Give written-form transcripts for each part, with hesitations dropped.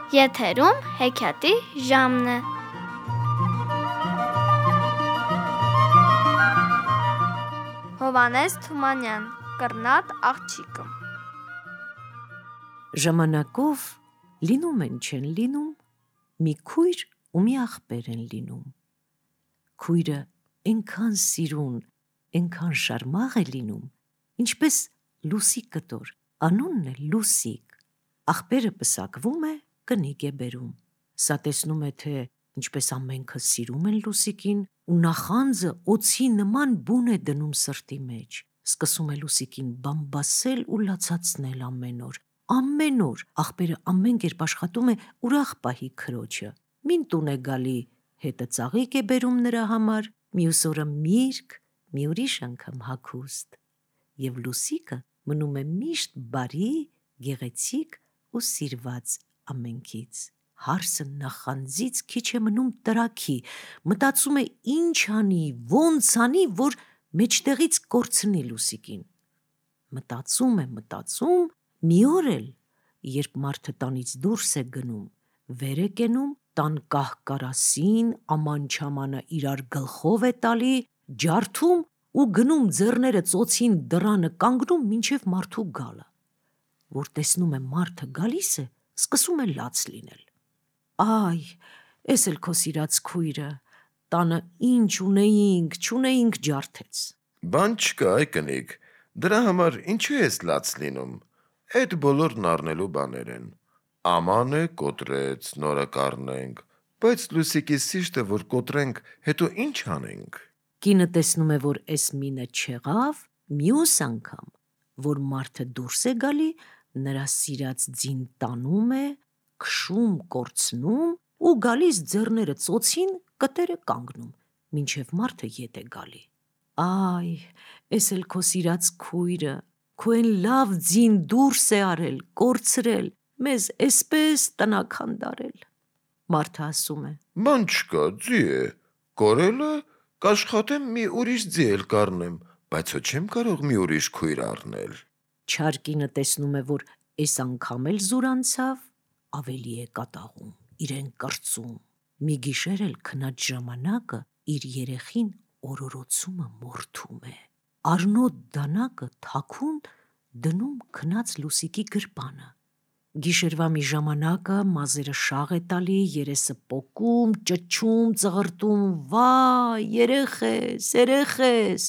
Եթերում հեքիաթի ժամն է։ Հովհաննես Թումանյան, Կռնատ աղջիկը։ Ժամանակով լինում են չեն լինում, մի քույր ու մի աղբեր են լինում։ Քույրը էնքան սիրուն, էնքան շարմաղ է լինում, ինչպես լուսիկ կտոր, անունն է Լուսիկ։ Աղբերը պսակվում է, կնիկ է բերում։ Սա տեսնում է, թե ինչպես ամենքը սիրում են Լուսիկին, ու նախանձը օձի նման բուն է դնում սրտի մեջ։ Սկսում է Լուսիկին բամբասել ու լացացնել ամեն օր։ Ամեն օր աղբերը ամեն կերպ աշխատում է ուրախ պահի քրոջը։ Մին տուն է գալի, հետը ծաղիկ է բերում նրա համար, մյուս օրը միրգ, մի ուրիշ անգամ հագուստ։ Եվ Լուսիկը մնում է միշտ բարի, գեղեցիկ ու սիրված ամենքից։ Հարսը նախանձից քիչ է մնում տրաքի, մտածում է ինչ անի, ոնց անի, որ մեջտեղից կորցնի Լուսիկին։ Մտածում, մի օր էլ, երբ մարդը տանից դուրս է գնում, վեր է կենում, տան կահ-կարասին, աման-չամանը իրար գլխով է տալի, ջարդում ու գնում ձեռները ծոցին դռանը կանգնում մինչև մարդու գալը։ Որ տեսնում է մարդը գալիս է, սկսում է լաց լինել։ Այ, էս էլ քո սիրած քույրը, տանը ինչ ունեինք, չունեինք ջարդեց։ Բան չկա, այ կնիկ, դրա համար ինչու ես լաց լինում, էդ բոլորն առնելու բաներ են, աման է կոտրեց, նորը կառնենք, բայց Լուսիկի սիրտը որ կոտրենք, հետո ինչ անենք։ Կինը տեսնում է, որ էս մինը չեղավ, մյուս անգամ, որ մարդը դուրս է գալի, նրա սիրած ձին տանում է, քշում, կորցնում ու գալիս ձեռները ծոցին, կտերը կանգնում, մինչև մարդը ետ է գալի։ Այ, էս էլ քո սիրած քույրը, քո են լավ ձին դուրս է արել, կորցրել, մեզ էսպես տնակ հանդարել։ Մարդը ասում է. Բան չկա, ձի է, կորել է, կաշխատեմ մի ուրիշ ձի էլ կառնեմ, բայց հո չեմ կարող մի ուրիշ քույր առնել։ Չար կինը տեսնում է, որ էս անգամ էլ զուր անցավ, ավելի է կատաղում, իրեն կրծում։ Մի գիշեր էլ քնած ժամանակը իր երեխին օրորոցումը մորթում է։ Առնոտ դանակը թաքուն դնում քնած Լուսիկի գրպանը։ Գիշերվա մի ժամանակը մազերը շաղ է տալի, երեսը պոկում, ճչում, ծղրտում, վայ, երեխես։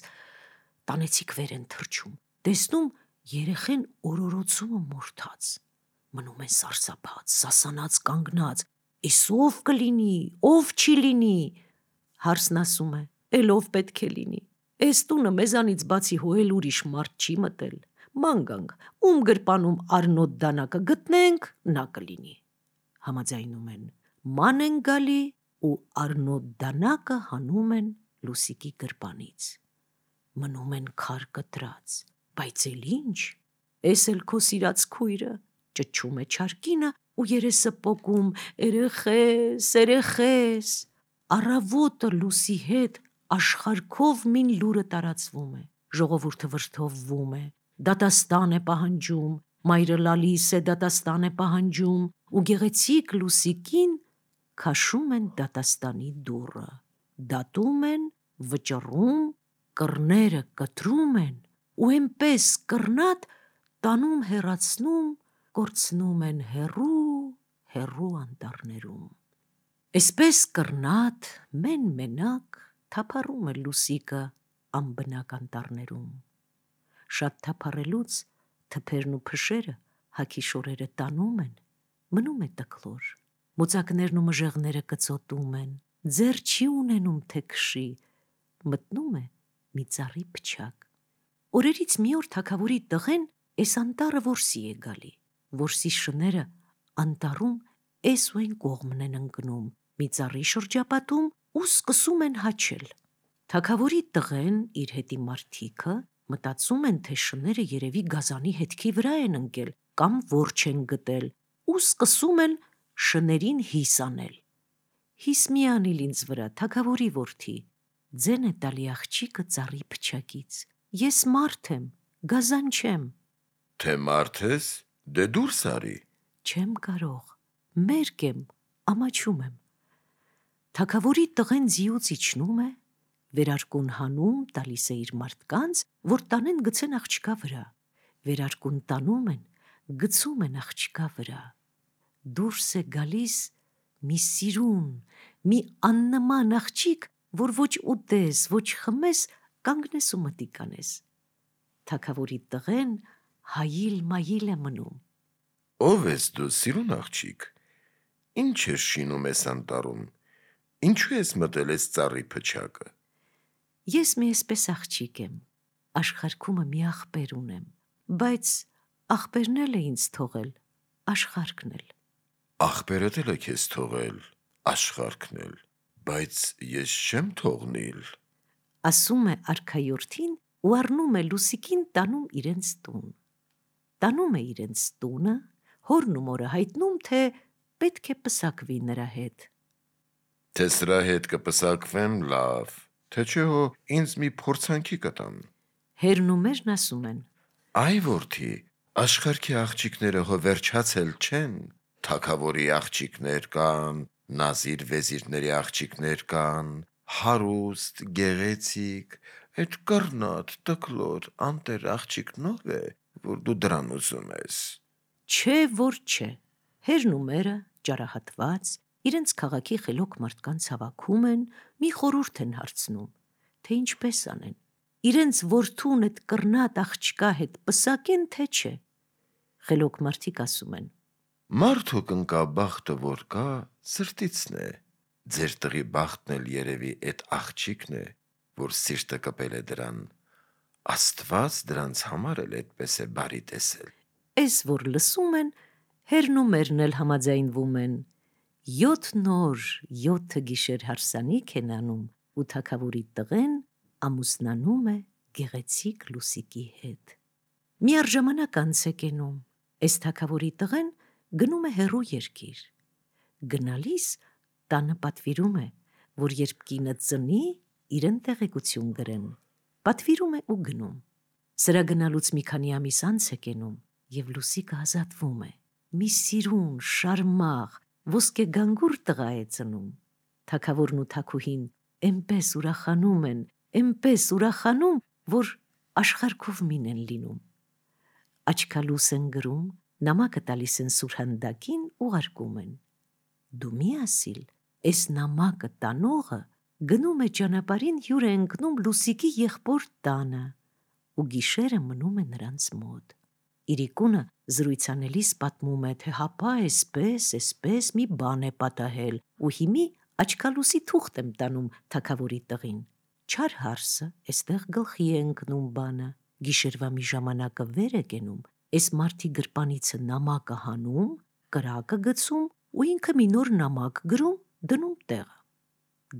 Տանեցիք վեր են թռչում, տեսնում երեխեն օրորոցումը մորթած։ Մնում են սարսափած, սասանած կանգնած, էս ով կլինի, ով չի լինի։ Հարսն ասում է. էլ ով պետք է լինի, էս տունը մեզանից բացի հո էլ ուրիշ մարդ չի մտել, ման գանք, ում գրպանում առնոտ դանակը գտնենք, նա կլինի։ Համաձայնում են, ման են գալի ու առնոտ դանակը հանում են Լուսիկի գրպանից։ Մնում են քար կտրած, բայց էլ ինչ, էս էլ քո սիրած քույրը, ճչում է չար կինը ու երեսը պոկում, երեխես։ Առավոտը Լուսի հետ աշխարհքով մին լուրը տարածվում է, ժողովուրդը վրդովվում է, դատաստան է պահանջում, մայրը լալիս է դատաստան է պահանջում ու գեղեցիկ Լուսիկին քաշում են դատաստանի դուռը, դատում են, վճռում, կռները կտրում են ու էնպես կռնատ տանում հեռացնում, կորցնում են հեռու անտառներում։ Էսպես կռնատ մեն-մենակ թափառում է Լուսիկը անբնակ անտառներում։ Շատ թափառելուց թփերն ու փշերը հագի շորերը տանում են, մնում է տկլոր, մոծակներն ու մժեղները կծոտում են, ձեռ չի ունենում թե քշի, մտնում է մի ծառի փչակ։ Օրերից մի օր թագավորի տղեն էս անտառը որսի է գալի, որսի շները անտառում էս ու այն կողմն են ընկնում, մի ծառի շրջապատում ու սկսում են հաչել։ Թագավորի տղեն, իր հետի մարդիկը մտածում են, թե շները երևի գազանի հետքի վրա են ընկել կամ որջ են գտել ու սկսում են շներին հիս անել։ Հիս մի անիլ ինձ վրա, թագավորի որդի, ձեն է տալի աղջիկը ծառի փչակից, ես մարդ եմ, գազան չեմ։ Թե մարդ ես, դե դուրս արի։ Չեմ կարող, մերկ եմ, ամաչում եմ։ Թագավորի տղեն ձիուց իջնում է, վերարկուն հանում տալիս է իր մարդկանց, որ տանեն գցեն աղջկա վրա, վերարկուն տանում են, գցում են աղջկա վրա։ Դուրս է գալիս մի սիրուն, մի աննման աղջիկ, որ ոչ ուտես, ոչ խմես, կանգնես ու մտիկ անես։ Թագավորի տղեն հայիլ-մայիլ է մնում։ Ով ես դու, սիրուն աղջիկ, ինչ ես շինում ես անտառում, ինչու ես մտել ես ծառի փչակը։ Ես մի էսպես աղջիկ եմ, աշխարհքումը մի աղբեր ունեմ, բայց աղբերն էլ է ինձ թողել, աշխարհքն էլ։ Աղբերդ էլ է քեզ թողել, աշխարհքն էլ, բայց ես չեմ թողնիլ։ Ասում է արքայորդին ու առնում է Լուսիկին տանում իրենց տուն։ Տանում է իրենց տունը, հորն ու մորը հայտնում, թե պետք է պսակվի նրա հետ։ Թե սրա հետ կպսակվեմ, լավ, թե չէ հո ինձ մի փորձանքի կտան։ Հերն ու մերն ասում են. Այ որդի, աշխարհքի աղջիկները հո վերջացել չեն, թագավորի աղջիկներ կան, նազիր վեզիրների աղջիկներ կան, հարուստ, գեղեցիկ, այդ կռնատ, տկլոր, անտեր աղջիկն ով է, որ դու դրան ուզում ես։ Չէ, որ չէ։ Հերն ու մերը, ճարահատված, իրենց քաղաքի խելոք մարդկանց հավաքում են, մի խորհուրդ են հարցնում, թե ինչպես անեն։ Իրենց որդուն այդ կռնատ աղջկա հետ պսակեն, թե չէ։ Խելոք մարդիկ ասում են. Մարդու կնկա բախտը որ կա, սրտիցն է։ Ձեր տղի բախտն էլ երևի այդ աղջիկն է, որ սիրտը կպել է դրան։ Աստված դրանց համար էլ այդպես է բարի տեսել։ Էս որ լսում են, հերն ու մերն էլ համաձայնվում են։ 7 օր, 7 գիշեր հարսանիք են անում, ու թագավորի տղեն ամուսնանում է գեղեցիկ Լուսիկի հետ։ Մի առժամանակ անց է կենում, այս թագավորի տղեն գնում է հեռու երկիր։ Գնալիս տանը պատվիրում է, որ երբ կինը ծնի, իրեն տեղեկություն գրեն։ Պատվիրում է ու գնում։ Սրա գնալուց մի քանի ամիս անց է կենում, և Լուսիկը ազատվում է։ Մի սիրուն, շարմաղ, ոսկե գանգուր տղա է ծնում։ Թագավորն ու թագուհին էնպես ուրախանում են, էնպես ուրախանում, որ աշխարհքով մին են լինում։ Աչքալուս են գրում, նամակը տալիս են սուրհանդակին, ուղարկում են։ Դու մի ասիլ, էս նամակը տանողը գնում է ճանապարհին հյուր է ընկնում Լուսիկի եղբոր տանը ու գիշերը մնում է նրանց մոտ։ Իրիկունը զրույցանելիս պատմում է, թե հապա էսպես մի բան է պատահել ու հիմի աչքալուսի թուղթ եմ տանում թագավորի տղին։ Չար հարսը էստեղ գլխի է ընկնում բանը, գիշերվա մի ժամանակը վեր է կենում, էս մարդի գրպանիցը նամակը հանում, կրակը գցում ու ինքը մի նոր նամակ գրում, դնում տեղը։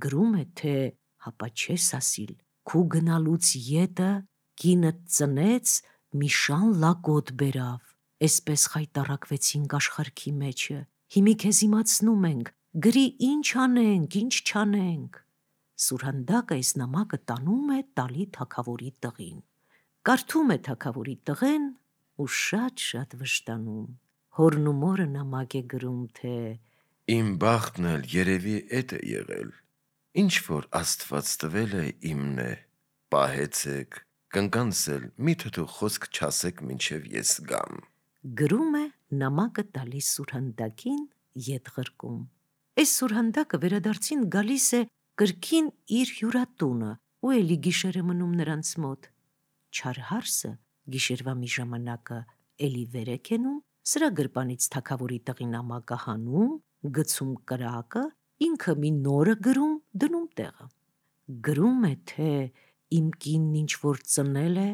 Գրում է, թե հապա չես ասիլ, քու գնալուց ետը կինը ծնեց, մի շան լակոտ բերավ, էսպես խայտառակվեցինք աշխարհքի մեջը, հիմի քեզ իմացնում ենք, գրի ինչ անենք, ինչ չանենք։ Սուրհանդակը այս նամակը տանում է տալի թագավորի տղին։ Կարդում է թագավորի տղեն ու շատ վշտանում։ Հորն ու մորը նամակ է գրում, թե Իմ բախտն էլ երևի էդ է եղել։ Ինչ որ Աստված տվել է իմն է, պահեցեք, կնկանցել, միթե դու խոսք չասեք մինչև ես գամ։ գրում է նամակը տալիս սուրհանդակին, ետ ղրկում։ Այս սուրհանդակը վերադարձին գալիս է կրկին իր հյուրատունը ու էլի գիշեր է մնում նրանց մոտ։ Չար հարսը գիշերվա մի ժամանակը էլի վեր է կենում, սրա գրպանից թագավորի տղի նամակը հանում, գցում կրակը, ինքը մի նորը գրում, դնում տեղը։ Գրում է, թե իմ կինն ինչ որ ծնել է,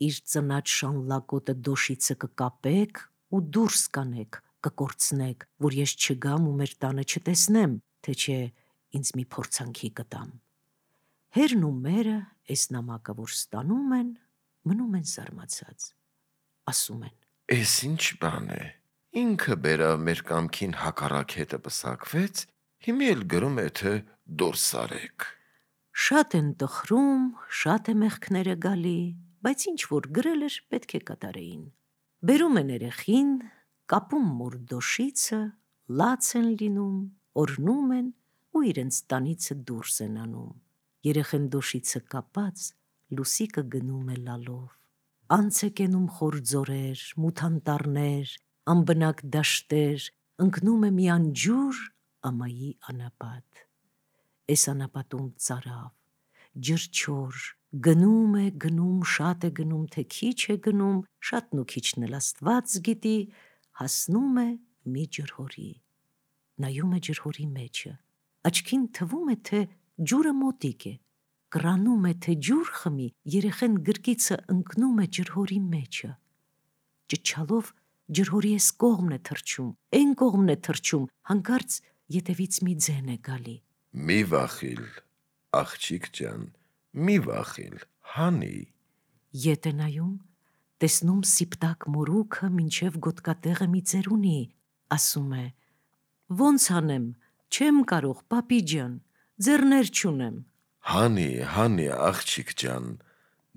իր ծնած շան լակոտը դոշիցը կկապեք ու դուրս կանեք, կկորցնեք, որ ես չգամ ու մեր տանը չտեսնեմ, թե չէ ինձ մի փորձանքի կտամ։ Հերն ու մերը այս նամակը որ ստանում են, մնում են զարմացած։ Ասում են. Էս ինչ բան է։ Ինքը բերավ մեր կամքին հակառակ հետը պսակվեց, հիմի էլ գրում է, թե դուրս արեք։ Շատ են տխրում, շատ է մեղքները գալի, բայց ինչ որ գրել էր, պետք է կատարեին։ Բերում են երեխին, կապում մոր դոշիցը, լաց են լինում, օրնում են ու իրենց տանիցը դուրս են անում։ Երեխեն դոշիցը կապած, Լուսիկը գնում է լալով։ Անց է կենում խոր ձորեր, մութանտառներ, անբնակ դաշտեր, ընկնում է մի անջուր ամայի անապատ։ Էս անապատում ծարավ, ջրջոր, գնում է, գնում, շատ է գնում, թե քիչ է գնում, շատն ու քիչն էլ Աստված գիտի, հասնում է մի ջրհորի։ Նայում է ջրհորի մեջը, աչքին թվում է, թե ջուրը մոտիկ է, կռանում է, թե ջուր խմի, երեխեն գրկիցը ընկնում է ջրհորի մեջը։ Ճչալով ջրհորի էս կողմն է թռչում, այն կողմն է թռչում, հանկարծ ետևից մի ձեն է գալի։ Մի վախիլ, աղջիկ ջան, մի վախիլ, հանի։ Ետ է նայում, տեսնում սիպտակ մորուքը մինչև գոտկատեղը մի ձեր ունի, ասում է. «Ոնց անեմ, չեմ կարող, պապի ջան, ձեռներ չունեմ»։ Հանի, աղջիկ ջան,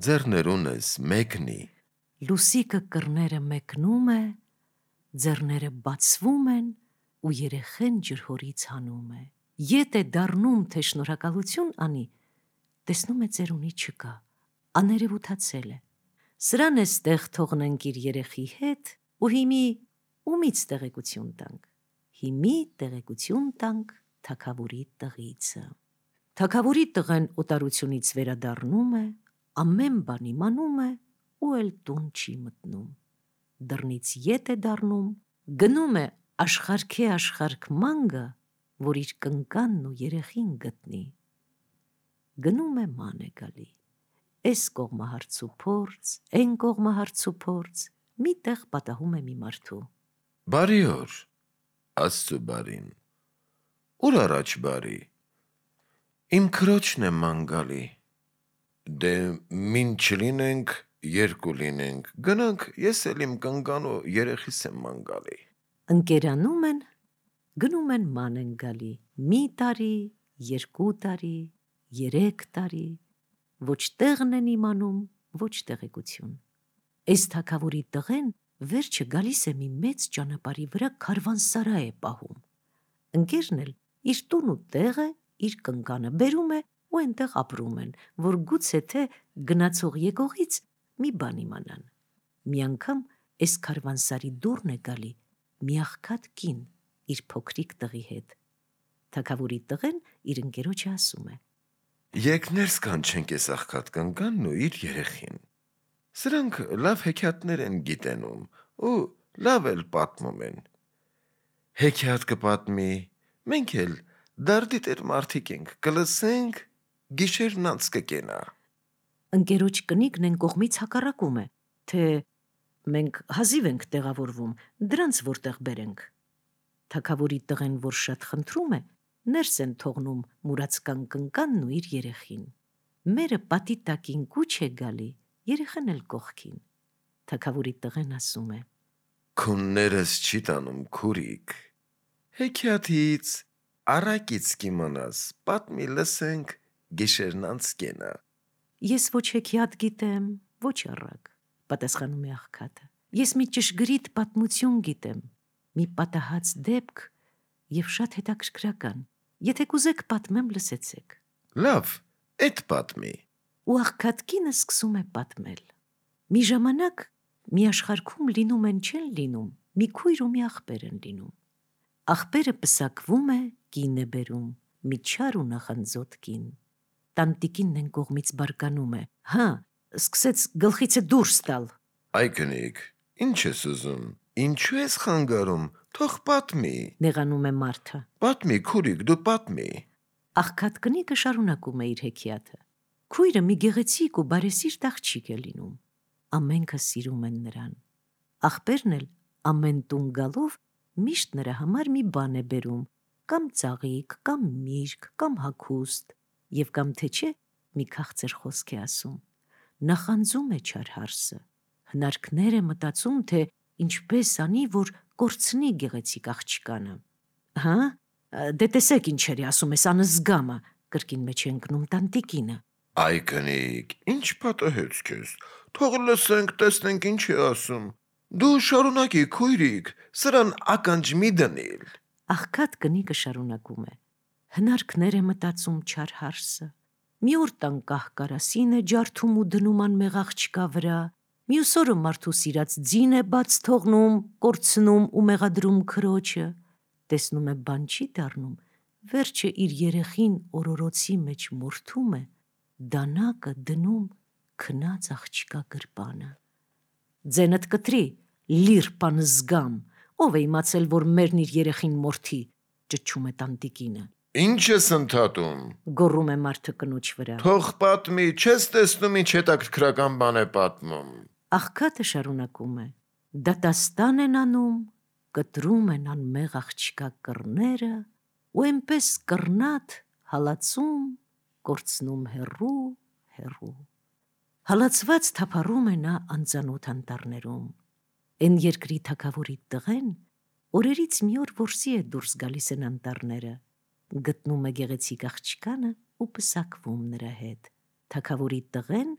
ձեռներ ունես, մեկնի։ Լուսիկը կռները մեկնում է, ձեռները բացվում են ու երեխեն ջրհորից հանում է։ Ետ է դառնում, թե շնորհակալություն անի, տեսնում է ծերունի չկա, աներևութացել է։ Սրան է ստեղ թողնենք իր երեխի հետ ու հիմի ումից տեղեկություն տանք։ Հիմի տեղեկություն տանք թագավորի տղիցը։ Թագավորի տղեն օտարությունից վերադառնում է, ամեն բան իմանում է ու էլ տուն չի մտնում։ Դռնից ետ է դառնում, գնում է աշխարհք մանգը, որ իր կնկանն ու երեխին գտնի։ Գնում է ման է գալի, էս կողմը հարց ու փորձ, այն կողմը հարց ու փորձ, մի տեղ պատահում է մի մարդու։ Բարի օր, Աստծու բարին։ Ուր առաջ բարի։ Իմ քրոջն է ման գալի։ Դե մին չլինենք, երկու լինենք, գնանք, ես էլ իմ կնկան ու երեխիս եմ ման գալի։ Ընկերանում են, գնում են ման են գալի, մի տարի, երկու տարի, 3 տարի, ոչ տեղն են իմանում, ոչ տեղեկություն։ Էս թագավորի տղեն վերջը գալիս է մի մեծ ճանապարհի վրա քարվանսարա է պահում։ Ընկերն էլ իր տուն ու տեղը, իր կնկանը բերում է ու այնտեղ ապրում են, որ գուցե թե գնացող եկողից մի բան իմանան։ Մի անգամ էս քարվանսարի դուռն է գալի մի աղքատ կին իր փոքրիկ տղի հետ։ Թագավորի տղեն իր ընկերոջը ասում է. Եկ ներս կանչենք էս աղքատ կնկանն ու իր երեխին։ Սրանք լավ հեքիաթներ են գիտենում ու լավ էլ պատմում են։ Հեքիաթ կպատմի, մենք էլ դարդի տեր մարդիկ ենք, կլսենք, գիշերն անց կկենա։ Ընկերոջ կնիկն են կողմից հակառակում է, թե մենք հազիվ ենք տեղավորվում, դրանց որտեղ բերենք։ Թագավորի տղեն, որ շատ խնդրում է, ներս են թողնում մուրացկան կնկանն ու իր երեխին։ Մերը պատի տակին կուչ է գալի, երեխան էլ կողքին։ Թագավորի տղեն ասում է. Քուններս չի տանում քուրիկ։ Հեքիաթից առակից կիմանաս, պատմի լսենք, գիշերն անց կենա։ Ես ոչ հեքիաթ գիտեմ, ոչ առակ, պատասխանում է աղքատը։ Ես մի ճշգրիտ պատմություն գիտեմ, մի պատահած դեպք և շատ հետաքրքրական։ Եթե կուզեք պատմեմ, լսեցեք։ Լավ, էդ պատմի։ Ու աղքատ կինը սկսում է պատմել։ Մի ժամանակ մի աշխարհքում լինում են չեն լինում, մի քույր ու մի աղբեր են լինում։ Աղբերը պսակվում է, կին է բերում, մի չար ու նախանձոտ կին։ Տանտիկինն են կողմից բարկանում է. հա, սկսեց գլխիցը դուրս տալ։ Այ կնիկ, ինչ ես ուզում, ինչու ես խանգարում, թող պատմի։ Նեղանում է մարդը։ Պատմի, քուրիկ, դու պատմի։ Աղքատ կնիկը շարունակում է իր հեքիաթը։ Քույրը մի գեղեցիկ ու բարեսիրտ աղջիկ է լինում։ Ամենքը սիրում են նրան։ Աղբերն էլ ամեն տուն գալով միշտ նրա համար մի բան է բերում, կամ ծաղիկ, կամ միրգ, կամ հագուստ, և կամ թե չէ մի քաղցր խոսք է ասում։ Նախանձում է չար հարսը, հնարքներ է մտածում, թե ինչպես անի, որ կորցնի գեղեցիկ աղջկանը։ Հա, դե տեսեք ինչեր է ասում ես անզգամը, կրկին մեջ է ընկնում տանտիկինը։ Այ կնիկ, ինչ պատահեց քեզ, թող լսենք, տեսնենք ինչ է ասում։ Դու շարունակի, քույրիկ, սրան ականջ մի դնիլ։ Աղքատ կնիկը շարունակում է. հնարքներ է մտածում չար հարսը, մի օր տան կահ կարասին է ջարդում ու դնում անմեղ աղջկա վրա, մյուս օրը մարդու սիրած ձին է բաց թողնում, կորցնում ու մեղադրում քրոջը, տեսնում է բան չի դառնում, վերջը իր երեխին օրորոցի մեջ մորթում է, դանակը դնում քնած աղջկա գրպանը։ Ձենդ կտրի, լիր բան զգամ, ով է իմացել, որ մերն իր երեխին մորթի, ճչում է տանտիկինը։ Ինչ ես ընդհատում, Գոռում է մարդը կնոջ վրա։ թող պատմի, չես տեսնում ինչ հետաքրքրական բան է պատմում։ Աղքատը շարունակում է. դատաստան են անում, կտրում են անմեղ աղջկա կռները ու էնպես կռնատ հալածում, կորցնում հեռու։ Հալածված թափառում է նա անծանոթ անտառներում։ Էն երկրի թագավորի տղեն օրերից մի օր որսի է դուրս գալիս են անտառները, գտնում է գեղեցիկ աղջկանը ու պսակվում նրա հետ։ Թագավորի տղեն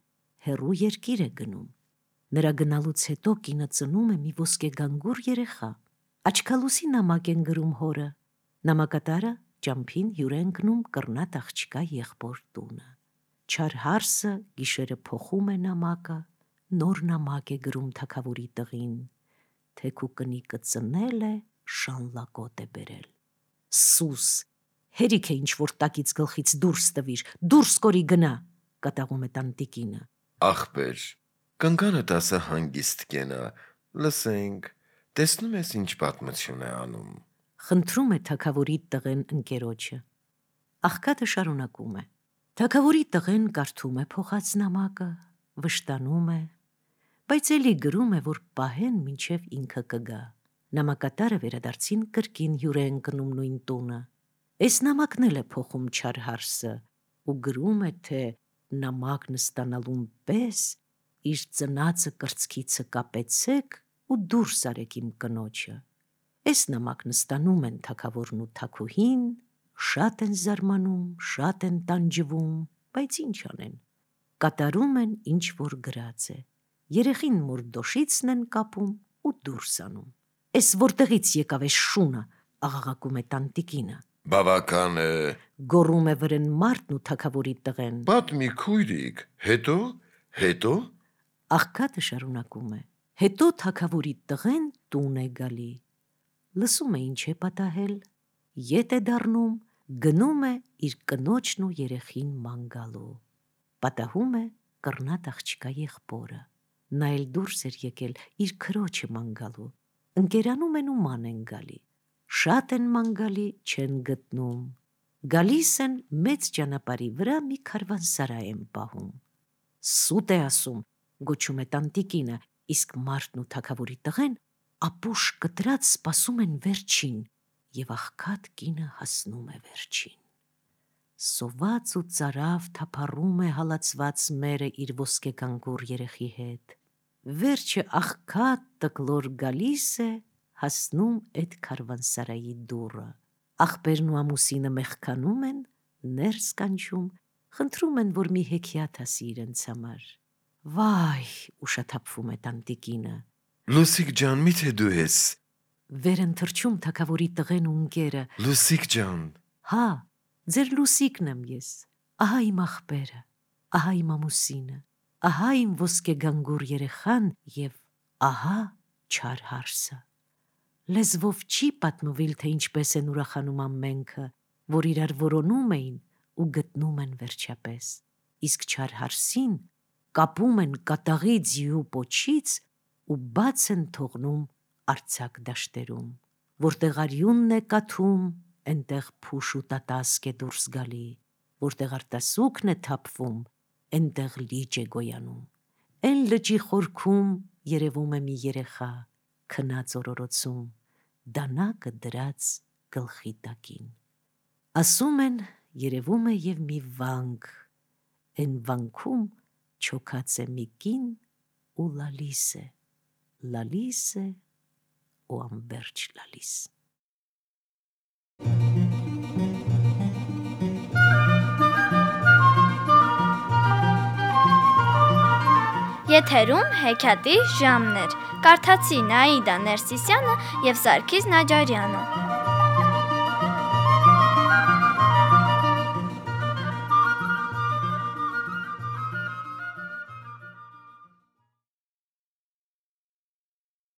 հեռու երկիր է գնում։ Նրա գնալուց հետո կինը ծնում է մի ոսկեգանգուր երեխա։ Աչքալուսի նամակ են գրում հորը։ Նամակատարը ճամփին հյուր է ընկնում կռնատ աղջկա եղբոր տունը։ Չար հարսը գիշերը փոխում է նամակը, նոր նամակ է գրում թագավորի տղին, թեքու կնիկը ծնել է, շանլակոտ է բերել։ Սուս, հերիք է ինչ որ տակից գլխից դուրս տվիր, դուրս կորի գնա, կատաղում է տանտիկինը։ Ախպեր, կնկանդ ասա հանգիստ կենա, լսենք, տեսնում ես ինչ պատմություն է անում։ Խնդրում է թագավորի տղեն ընկերոջը։ Աղքատը շարունակում է. թագավորի տղեն կարդում է փոխած նամակը, վշտանում է, բայց էլի գրում է, որ պահեն մինչև ինքը կգա։ Նամակատարը վերադարձին կրկին հյուր է ընկնում նույն տունը։ Էս նամակն էլ է փոխում չար հարսը ու գրում է, թե նամակն ստանալուն պես իր ծնածը կրծքիցը կապեցեք ու դուրս արեք իմ կնոջը։ Էս նամակն ստանում են թագավորն ու թագուհին, շատ են զարմանում, շատ են տանջվում, բայց ինչ անեն։ Կատարում են ինչ որ գրած է։ Երեխին մորդոշիցն են կապում ու դուրս անում։ Էս որտեղից եկավ էս շունը, աղաղակում է տանտիկինը։ Բավական է, Գոռում է վրեն մարդն ու թագավորի տղեն։ պատմի քույրիկ, հետո։ Աղքատը շարունակում է. հետո թագավորի տղեն տուն է գալի։ Լսում է ինչ է պատահել, ետ է դառնում, գնում է իր կնոջն ու երեխին ման գալու։ Պատահում է կռնատ աղջկա եղբորը։ Նա էլ դուրս էր եկել իր քրոջը ման գալու։ Ընկերանում են ու ման են գալի։ Շատ են ման գալի, չեն գտնում։ Գալիս են մեծ ճանապարհի վրա մի քարվանսարայ են պահում։ Սուտ է ասում, գոչում է տանտիկինը, իսկ մարդն ու թագավորի տղեն ապուշ կտրած սպասում են վերջին, եւ աղքատ կինը հասնում է վերջին։ Սոված ու ծարավ թափառում է հալածված մերը իր ոսկեգանգուր երեխի հետ։ Վերջը աղքատ տկլոր գալիս է, հասնում էդ քարվանսարայի դուռը։ Աղբերն ու ամուսինը մեղքանում են, ներս կանչում, խնդրում են, որ մի հեքիաթ ասի իրենց համար։ Վայ, ուշաթափվում է տանտիկինը։ Լուսիկ ջան, միթե դու ես։ Վեր են թռչում թագավորի տղեն ու ընկերը։ Լուսիկ ջան, Հա, ձեր լուսիկն եմ ես, ահա իմ աղբերը, ահա իմ ամուսինը, ահա իմ ոսկեգանգուր երեխան և ահա չար հարսը։ Լեզվով չի պատմվել, թե ինչպես են ուրախանում ամենքը, որ իրար որոնում էին ու գտնում են վերջապես, իսկ չար հարսին կապում են կատաղի ձիու պոչից ու բաց են թողնում արձակ դաշտերում, որտեղ արյունն է կաթում, էնտեղ փուշ ու տատասկ է դուրս գալի, որտեղ արտասուքն է թափվում, էնտեղ լիճ է գոյանում։ Էն լճի խորքում երևում է մի երեխա, քնած օրորոցում, դանակը դրած գլխի տակին։ Ասում են, երևում է և մի վանք, էն վանքում չոքած է մի կին ու լալիս է ու անվերջ լալիս։ Եթերում հեքիաթի ժամն էր։ Կարդացի Նաիդա Ներսիսյանը և Սարգիս Նաջարյանը։